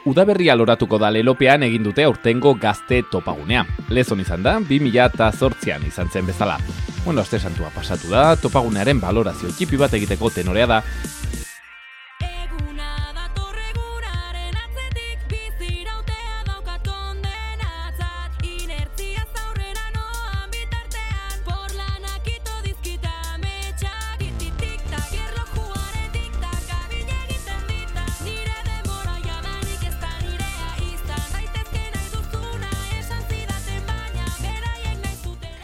Udaberria loratuko da lelopean egin dute aurtengo gazte topagunea. Lezon izan da, 2008an izan zen bezala. Aste santua pasatu da, topagunearen balorazio txipi bat egiteko tenorea da.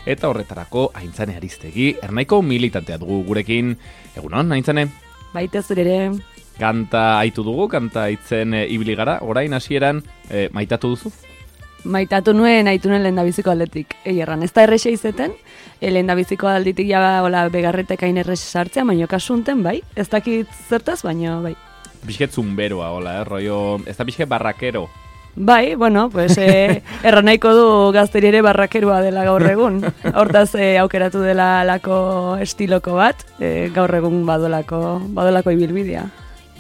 Eta horretarako Aintzane Aristegi, Ernaiko militantea dugu gurekin. Egunon, Aintzane? Baita zure. Kanta aitu dugu, kanta aitzen ibili gara. Orain hasieran maitatu duzu? Maitatu nuen aitunen lehendabiziko aldetik. Erran, ez da errexe izeten, lehendabiziko alditik ja begarretek hain errexe sartzea, baino kasunten, bai. Ez dakit zertaz, baino, bai. Pixket zumberoa, rollo, ez da pixket barrakero. Bai, bueno, pues erran nahiko du gazteri ere barrakerua dela gaur egun. Hortaz aukeratu dela lako estiloko bat, gaur egun badolako ibilbidea.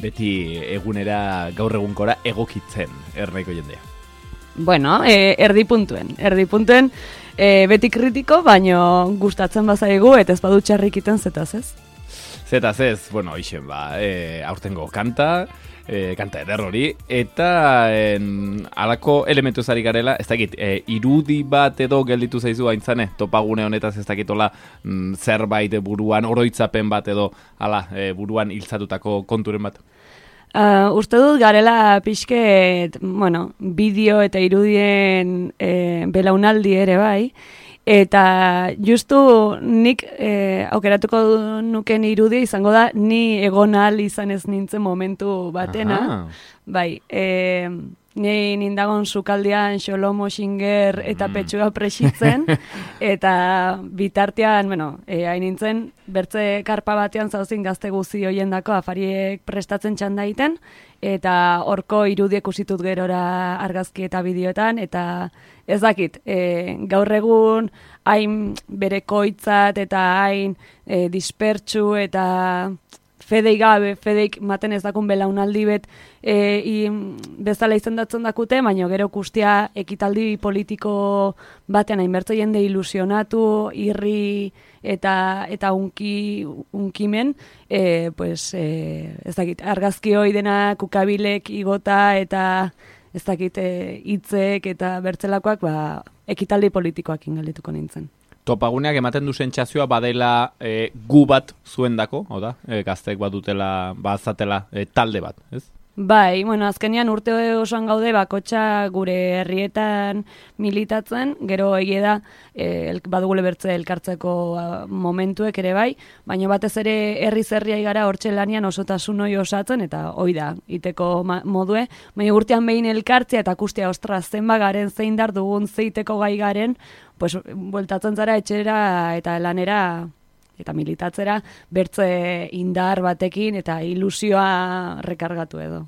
Beti egunera gaur egunkora egokitzen Ernaiko jendea. Bueno, erdi puntuen beti kritiko, baino gustatzen bazaigu eta ez badu txarrik iten zetaz ez. Zetaz ez, bueno, ixen aurtengo kanta eder hori, eta halako elementu ezari garela, ez dakit, irudi bat edo gelditu zaizu Aintzane, topagune honetaz ez dakitola zerbait buruan, oroitzapen bat edo buruan hiltzatutako konturen bat? Uste dut garela pixket, bideo eta irudien belaunaldi ere bai, eta justu nik aukeratuko nuken irudia izango da ni egon ahal izan ez nintzen momentu batena. Aha. Bai, ni nindagon sukaldian Xolomo Xinger eta Petxua presitzen, eta bitartean, hain nintzen, bertze karpa batean zauzin gazte guzi hoiendako afariek prestatzen txanda egiten, eta horko irudiek usitut gerora argazki eta bideoetan, eta ez dakit, gaur egun hain berekoitzat eta hain dispertsu eta fedeik maten ez dakun belaunaldi bet bezala izendatzen dakute, baina gero kustia ekitaldi politiko batean hainbertze jende ilusionatu, irri eta unkimen, ez dakit, argazki hoi dena kukabilek igota eta ez dakit hitzek eta bertzelakoak ekitaldi politikoak ingalituko nintzen. Topaguneak ematen du sentsazioa badela gu bat zuendako, gazteek badutela, bazatela talde bat, ez? Bai, azkenean urte osoan gaude bakotxa gure herrietan militatzen, gero egie da badugule bertze elkartzeko momentuek ere bai, baina batez ere herri gara hortxe lanian osotasun hoi osatzen, eta hoi da, iteko modue, baina urtean behin elkartzea eta kustia ostra zenba garen, zein dar dugun, zeiteko gai garen, bueltatzen zara etxera eta lanera eta militatzera bertze indar batekin eta ilusioa rekargatu edo.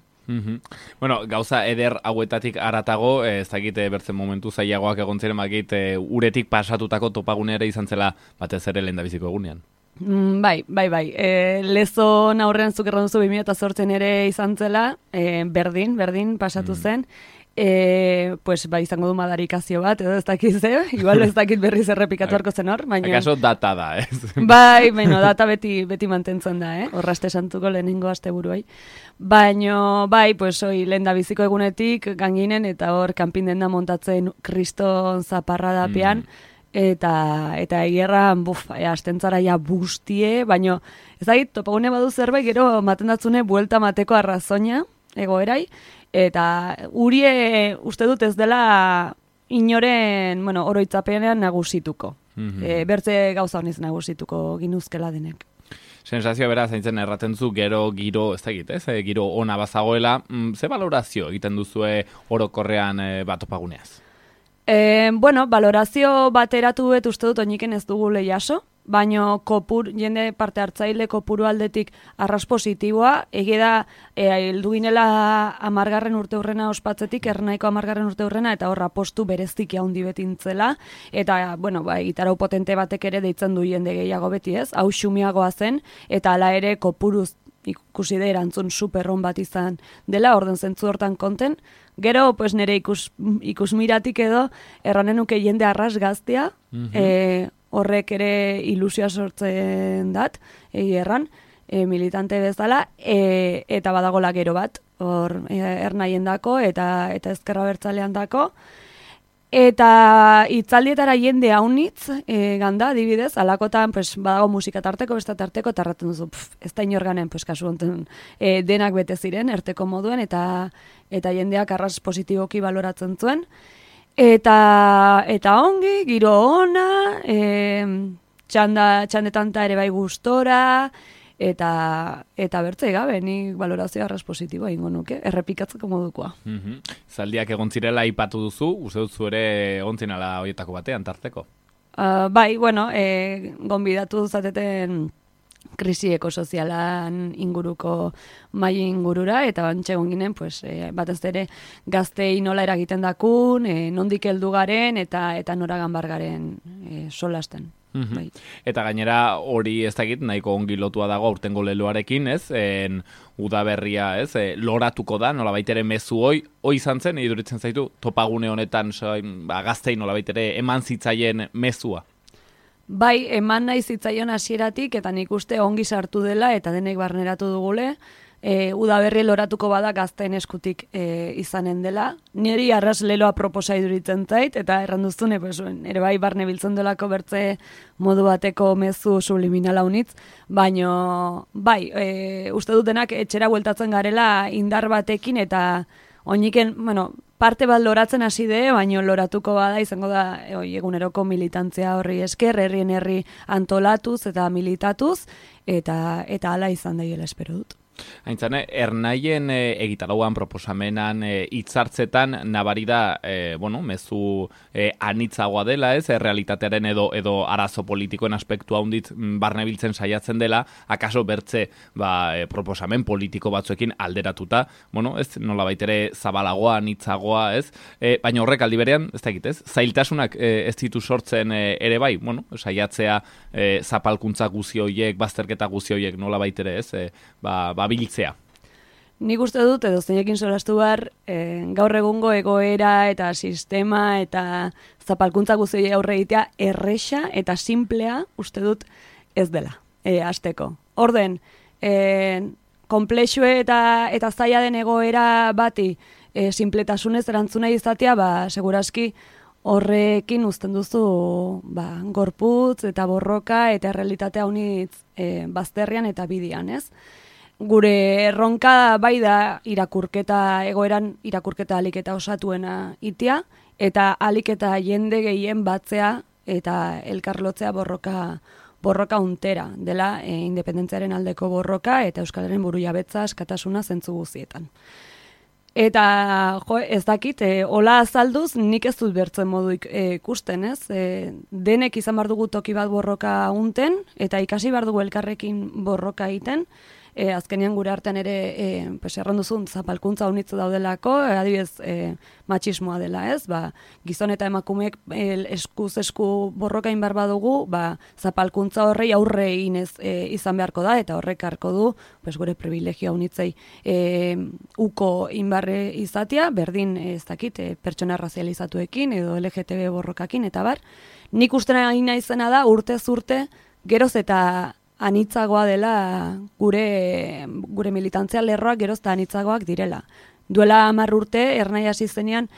Gauza eder hauetatik haratago, ez dakit bertzen momentu zailagoak egon ziren bakit uretik pasatutako topagunea ere izan zela batez ere lehendabiziko egunean. Bai. Lezon aurrean zuk erran duzu 2008 ere izan zela, berdin pasatu zen, izango du madarikazio bat, edo ez dakit igual ez dakit berriz errepikatu harko zen hor, baina... Akaso data da, ez? Bai, data beti mantentzen da, Horraste santuko lehenengo aste buruai. Baina, lehendabiziko egunetik ganginen, eta hor kanpinden da montatzen kriston zaparra dapean, eta egerran, astentzara ja bustie, baina ez dakit, topagune badu zerbait, gero maten datzune buelta mateko arrazoina, egoerai, eta urie uste dut ez dela inoren, oroitzapenean nagusituko. Bertze gauza honiz nagusituko ginuzkela denek. Sensazioa beraz, Aintzane erraten zu, gero giro, ez dakit, giro ona bazagoela, ze balorazio egiten duzue orokorrean topaguneaz? Balorazio bateratu uste dut oiniken ez dugu lehiaso, baino jende parte hartzaile kopuru aldetik arras positiboa, egia da heldu ginela 10. urteurrena ospatzetik, Ernaiko 10. urteurrena, eta horra postu bereziki handi betintzela, eta, gitarau potente batek ere deitzen du jende gehiago beti ez, hau xumiagoa zen, eta hala ere kopuruz ikusi da erantzun superron bat izan dela, orden zentzu hortan konten. Gero, pues nire ikusmiratik edo, erranen nuke jende arras gaztea, horrek ere ilusioa sortzen dat, erran, militante bezala, eta badagola gero bat, hor ernaien dako, eta ezkerra bertzalean dako, eta itzaldietara jende haunitz, ganda, adibidez, alakotan, pues, badago musika tarteko, besta tarteko, eta erraten duzu, ez da inorganen, pues, kasu honetan, denak bete ziren, erteko moduen, eta jendeak arras positiboki baloratzen zuen, eta ongi, giro ona, txandetan ere bai gustora, eta bertzei gabe, nik balorazio arras positiboa ingo nuke, errepikatzeko modukoa. Zaldiak egon zirela aipatu duzu, uste duzu ere egon zinala horietako batean, tarteko? Bai, bueno, gonbidatu zateten krisi ekosozialan inguruko mai ingurura, eta bantxe egon ginen, pues, batez ere gaztei nola eragiten dakun, nondik heldu garen, eta nora ganbar garen solasten. Bai. Eta gainera hori ez dakit nahiko ongi lotua dago aurtengo leloarekin, ez? Udaberria, ez? Loratuko da, nolabait ere mezu hoi izan zen, iduritzen zaitu, topagune honetan gaztei nolabait ere eman zitzaien mezua. Bai, eman nahi zitzaion hasieratik, eta nik uste ongi sartu dela, eta denek barneratu dugule, udaberri loratuko bada gazteen eskutik izanen dela. Niri arras leloa proposa iduritzen zait, eta erranduztune, pues, ere bai barne biltzen delako bertze modu bateko mezu subliminala unitz, baino, bai, uste dutenak etxera bueltatzen garela indar batekin, eta oiniken, bueno, parte bat loratzen hasi de, baino loratuko bada izango da eguneroko militantzia horri esker, herri antolatuz eta militatuz, eta hala izan daiela espero dut. Aintzane, ernaien egitarauan proposamenan hitzartzetan nabari da, mezu anitzagoa dela, ez, realitatearen edo arazo politikoen aspektua hundit barnebiltzen saiatzen dela, akaso bertze proposamen politiko batzuekin alderatuta, ez, nolabait ere zabalagoa, anitzagoa, ez, baina horrek aldi berean, ez da egitez, zailtasunak ez ditu sortzen ere bai, saiatzea zapalkuntza guzi horiek, bazterketa guzi horiek nolabait ere, ez, biltzea. Nik uste dut, edo zeinekin solastu behar, gaur egungo egoera eta sistema eta zapalkuntza guzti aurre egitea erresa eta simplea uste dut ez dela, hasteko. Orden, konplexue eta zaila den egoera bati sinpletasunez erantzuna izatea, segurazki horrekin uzten duzu gorputz eta borroka eta errealitatea unitz bazterrian eta bidian, ez? Gure erronka bai da egoeran irakurketa aliketa osatuena itia, eta aliketa jende gehien batzea eta elkarlotzea borroka untera, dela independentziaren aldeko borroka eta Euskalaren burujabetza askatasuna zentzu guztietan. Eta, ez dakit, hola azalduz nik ez dut bertzen modu ikusten, ez? Denek izan behar dugu toki bat borroka unten, eta ikasi behar dugu elkarrekin borroka egiten, azkenean gure artean ere erranduzun zapalkuntza unitzu daudelako, adibidez matxismoa dela, ez? Gizon eta emakumeek eskuz esku borroka inbar badugu, zapalkuntza horrei aurre inez izan beharko da, eta horrek harko du gure privilegio unitzei uko inbarre izatea, berdin ez dakit, pertsona razializatuekin edo LGTB borrokakin, eta bar. Nik ustena nahi izena da, urtez urte, geroz eta anitzagoa dela gure militantzia lerroak geroz eta anitzagoak direla. Duela 10 urte, ernai hasi zenean,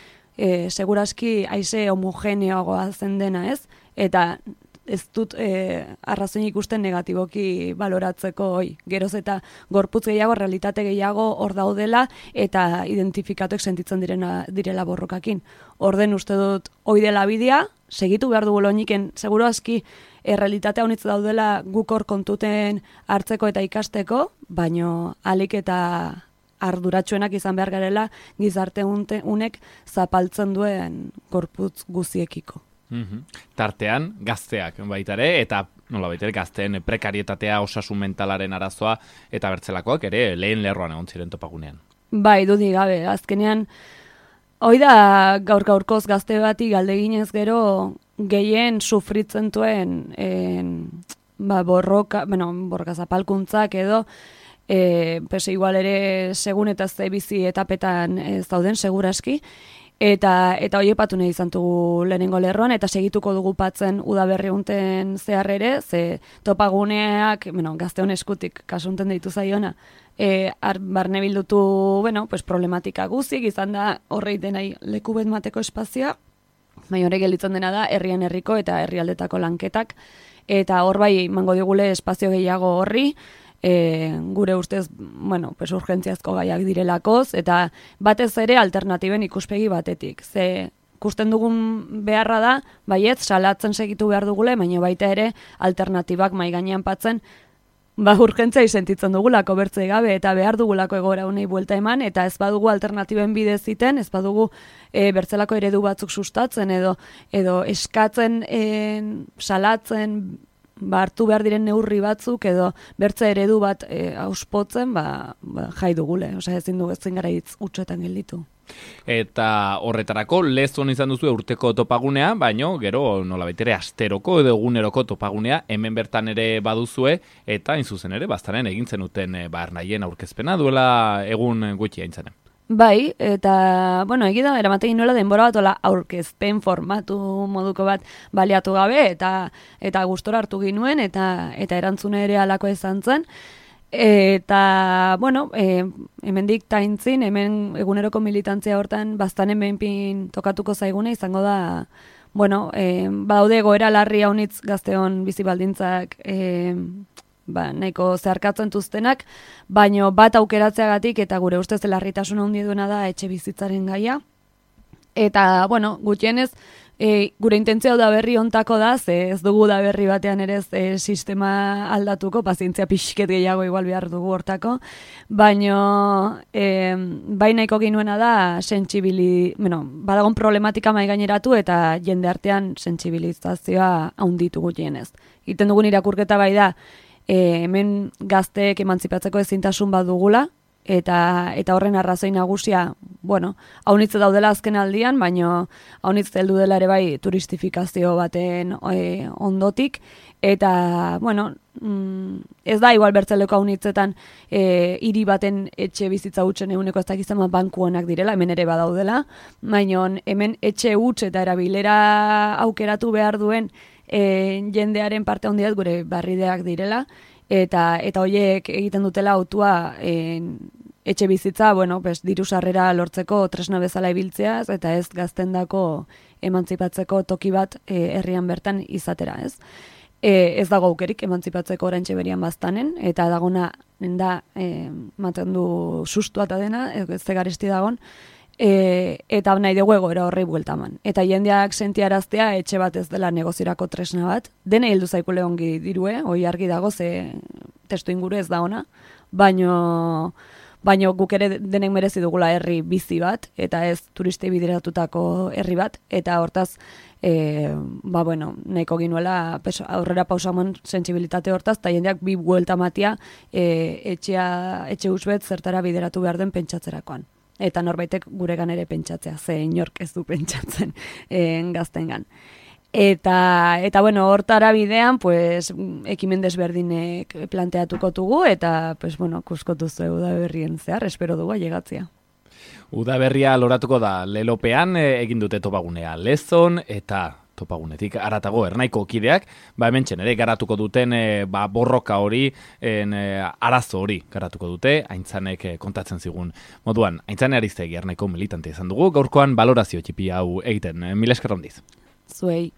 segurazki haize homogeneoagoa zen dena, ez? Eta ez dut arrazoin ikusten negatiboki baloratzeko geroz eta gorputz gehiago, realitate gehiago hor daudela eta identifikatuek sentitzen direla borrokakin. Orden uste dut hoi dela bidea, segitu behar dugu loiniken, seguro aski errealitatea honitz daudela guk hor kontuten hartzeko eta ikasteko, baino alik eta arduratsuenak izan behar garela gizarte unek zapaltzen duen gorputz guziekiko. Tartean, gazteak baitare, eta nola baitare gazteen prekarietatea, osasun mentalaren arazoa, eta bertzelakoak ere lehen lerroan egon ziren topagunean. Bai, dudik gabe, azkenean, hoi da gaur-gaurkoz gazte bati galdeginez gero gehien sufritzen duen borroka zapalkuntzak edo pues igual ere segun eta ze bizi etapetan zauden seguraski, eta hoiepatu nahi izan dugu lehenengo lerroan, eta segituko dugu patzen udaberri unten zehar ere, ze topaguneak, gazteon eskutik kasunten deitu zaiona, barne bildutu, pues problematika guzik, izan da horrei denai leku bet mateko espazioa, baina horrek gelditzen dena da herrian herriko eta herrialdetako lanketak, eta hor bai mango digule espazio gehiago horri, gure ustez, pues urgentziazko gaiak direlakoz, eta batez ere alternatiben ikuspegi batetik. Ze ikusten dugun beharra da, baiet, salatzen segitu behar dugule, baina baita ere alternatibak mai gainean patzen, urgentzia sentitzen dugulako bertzei gabe, eta behar dugulako egoera honei buelta eman, eta ez badugu alternatiben bidez ziten, ez badugu bertzelako eredu batzuk sustatzen, edo eskatzen, salatzen, hartu behar diren neurri batzuk edo bertze eredu bat auspotzen, jai dugule. Osea, ezin gara hitz utxoetan gelditu. Eta horretarako lezon izan duzu urteko topagunea, baino gero nolabait ere asteroko edo eguneroko topagunea hemen bertan ere baduzue, eta hain zuzen ere baztaren egintzen duten Ernairen aurkezpena duela egun gutxi aintzanen. Bai, eta, egida, eramatekin nuela denbora bat ola aurkezpen formatu moduko bat baliatu gabe, eta gustora hartu ginuen, eta erantzune ere alako izan zen. Eta, hemendik taintzin, hemen eguneroko militantzia hortan baztanen behinpin tokatuko zaigune, izango da, badaude goera larri haunitz gazteon bizi baldintzak, nahiko zeharkatzen tuztenak, baino bat aukeratzeagatik eta gure ustez larritasun handi duena da etxe bizitzaren gaia. Eta, gutxienez, gure intentzia da berri ontako da, ze ez dugu da berri batean ere sistema aldatuko, pazientzia pixket gehiago igual behar dugu hortako, baino bai nahiko ginuena da badagon problematika mai gaineratu eta jende artean sentsibilizazioa handitu gutxienez. Egiten dugun irakurketa bai da, hemen gazteek emantzipatzeko ezintasun bat dugula, eta horren arrazoi nagusia, haunitze daudela azken aldian, baino haunitz heldu dela ere bai turistifikazio baten ondotik, eta, ez da igual bertzeleko haunitzetan hiri baten etxe bizitza hutsen eguneko ez dakizan banku honak direla, hemen ere badaudela, baino hemen etxe huts eta erabilera aukeratu behar duen jendearen parte handiak gure barrideak direla, eta horiek egiten dutela autua etxe bizitza, diru sarrera lortzeko tresna bezala ibiltzeaz, eta ez gaztendako emantzipatzeko toki bat herrian bertan izatera, ez? Ez dago aukerik emantzipatzeko oraintxe berian baztanen, eta dagona da maten du sustua eta dena, ez garesti dagon, eta nahi dugu egoera horrei bueltaman. Eta jendeak sentiaraztea etxe bat ez dela negozirako tresna bat. Dene heldu zaikule ongi dirue, hoi argi dago, ze testu inguru ez da ona, baino guk ere denek merezi dugula herri bizi bat, eta ez turistei bideratutako herri bat, eta hortaz, nahiko ginuela aurrera pausaman sentsibilitate hortaz, eta jendeak bi buelta matia etxe usbet zertara bideratu behar den pentsatzerakoan. Eta norbaitek guregan ere pentsatzea, ze inork ez du pentsatzen gaztengan. Eta hortara bidean, ekimen desberdinek planteatuko dugu, eta, kuskotu zu udaberrien zehar, espero dugu ailegatzea. Udaberria loratuko da lelopean egin dute topagunea Lezon, eta topagunetik aratago Ernaiko kideak, hementsen ere garatuko duten borroka hori, arazo hori garatuko dute, Aintzanek kontatzen zigun moduan. Aintzane Ariztegi Ernaiko militante izan dugu, gaurkoan balorazio txipi hau egiten. Mila esker handiz. Zuei.